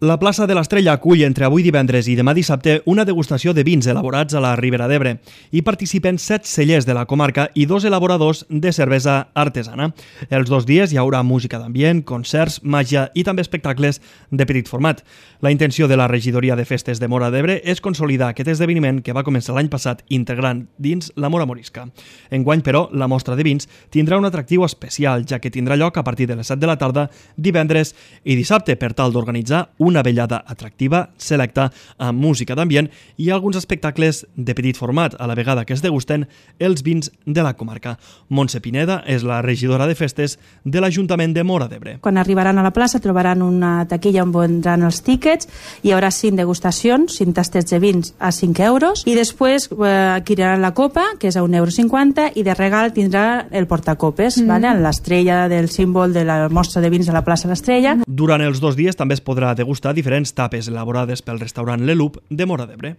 La plaça de l'Estrella acull entre avui divendres i demà dissabte una degustació de vins elaborats a la Ribera d'Ebre. Hi participen 7 cellers de la comarca i 2 elaboradors de cervesa artesana. Els 2 dies hi haurà música d'ambient, concerts, màgia i també espectacles de petit format. La intenció de la Regidoria de Festes de Móra d'Ebre és consolidar aquest esdeveniment que va començar l'any passat integrant dins la Móra Morisca. Enguany, però, la mostra de vins tindrà un atractiu especial, ja que tindrà lloc a partir de les 7 de la tarda, divendres i dissabte, per tal d'organitzar una vellada atractiva, selecta, amb música d'ambient i alguns espectacles de petit format, a la vegada que es degusten els vins de la comarca. Montse Pineda és la regidora de festes de l'Ajuntament de Móra d'Ebre. Quan arribaran a la plaça trobaran una taquilla on vendran els tíquets, hi haurà 5 degustacions, 5 tastets de vins a 5 euros i després adquiriran la copa, que és a 1,50 € i de regal tindrà el portacopes, vale? L'estrella del símbol de la mostra de vins de la plaça L'Estrella. Durant els 2 dies també es podrà degustar diferents tapes elaborades pel restaurant Le Loop de Móra d'Ebre.